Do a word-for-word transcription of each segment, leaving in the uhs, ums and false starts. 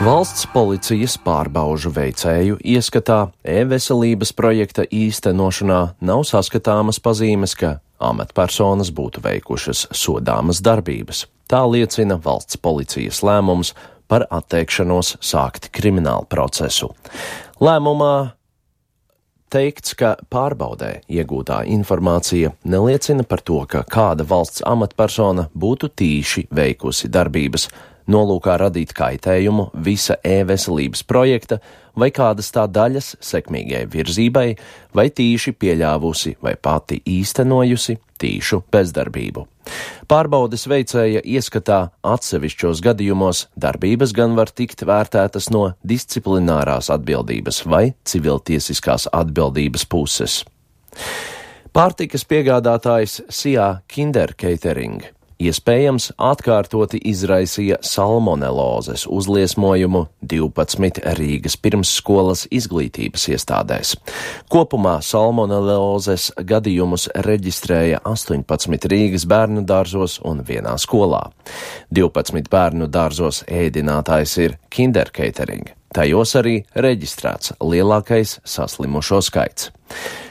Valsts policijas pārbaužu veicēju ieskatā e-veselības projekta īstenošanā nav saskatāmas pazīmes, ka amatpersonas būtu veikušas sodāmas darbības. Tā liecina valsts policijas lēmums par atteikšanos sākt kriminālu procesu. Lēmumā teikts, ka pārbaudē iegūtā informācija neliecina par to, ka kāda valsts amatpersona būtu tīši veikusi darbības, nolūkā radīt kaitējumu visa e-veselības projekta vai kādas tā daļas sekmīgai virzībai, vai tīši pieļāvusi vai pati īstenojusi tīšu bezdarbību. Pārbaudes veicēja ieskatā atsevišķos gadījumos darbības gan var tikt vērtētas no disciplinārās atbildības vai civiltiesiskās atbildības puses. Pārtikas piegādātājs Sijā Kinder Catering iespējams atkārtoti izraisīja salmonelozes uzliesmojumu divpadsmit Rīgas pirmsskolas izglītības iestādēs. Kopumā salmonelozes gadījumus reģistrēja astoņpadsmit Rīgas bērnu dārzos un vienā skolā. divpadsmit bērnu dārzos ēdinātājs ir Kinder Catering. Tajos arī reģistrēts lielākais saslimušo skaits.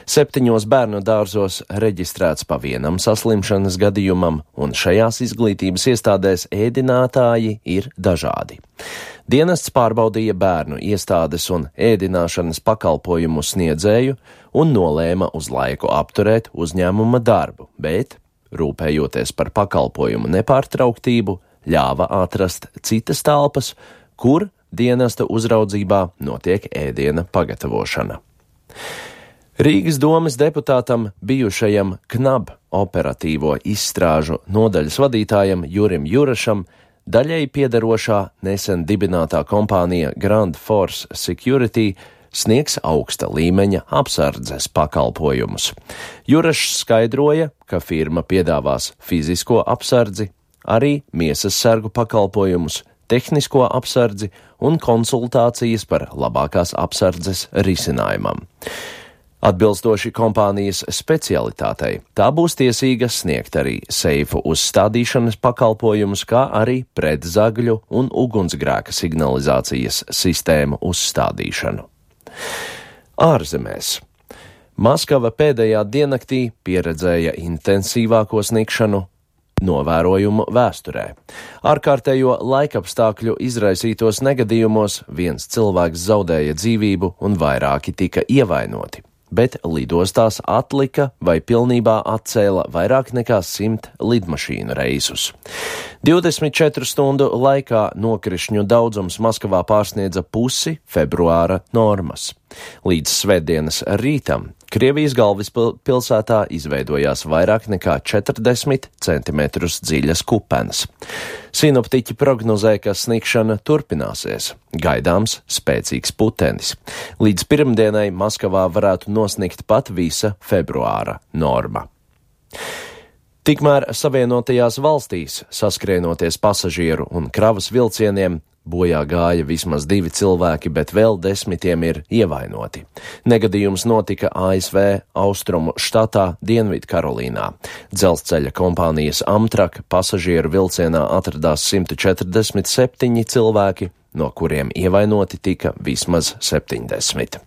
Septiņos bērnu dārzos reģistrēts pa vienam saslimšanas gadījumam, un šajās izglītības iestādēs ēdinātāji ir dažādi. Dienests pārbaudīja bērnu iestādes un ēdināšanas pakalpojumu sniedzēju un nolēma uz laiku apturēt uzņēmuma darbu, bet, rūpējoties par pakalpojumu nepārtrauktību, ļāva atrast citas telpas, kur dienesta uzraudzībā notiek ēdiena pagatavošana. Rīgas domes deputātam bijušajam KNAB operatīvo izstrāžu nodaļas vadītājam Jurim Jurašam daļēji piederošā nesen dibinātā kompānija Grand Force Security sniegs augsta līmeņa apsardzes pakalpojumus. Jurašs skaidroja, ka firma piedāvās fizisko apsardzi, arī miesas sargu pakalpojumus, tehnisko apsardzi un konsultācijas par labākās apsardzes risinājumam. Atbilstoši kompānijas specialitātei, tā būs tiesīga sniegt arī seifu uzstādīšanas pakalpojumus, kā arī pretzagļu un ugunsgrēka signalizācijas sistēmu uzstādīšanu. Ārzemēs. Maskava pēdējā diennaktī pieredzēja intensīvāko snikšanu novērojumu vēsturē. Ārkārtējo laikapstākļu izraisītos negadījumos viens cilvēks zaudēja dzīvību un vairāki tika ievainoti, bet lidostās atlika vai pilnībā atcēla vairāk nekā simt lidmašīnu reisus. divdesmit četru stundu laikā nokrišņu daudzums Maskavā pārsniedza pusi februāra normas. Līdz svētdienas rītam Krievijas galvaspilsētā izveidojās vairāk nekā četrdesmit centimetrus dziļas kupenes. Sinoptiķi prognozē, ka snikšana turpināsies. Gaidāms spēcīgs putenis. Līdz pirmdienai Maskavā varētu nosnikt pat visa februāra norma. Tikmēr Savienotajās valstīs, saskrienoties pasažieru un kravas vilcieniem, bojā gāja vismaz divi cilvēki, bet vēl desmitiem ir ievainoti. Negadījums notika A S V austrumu štatā Dienvidkarolīnā. Dzelzceļa kompānijas Amtrak pasažieru vilcienā atradās simt četrdesmit septiņi cilvēki, no kuriem ievainoti tika vismaz septiņdesmit.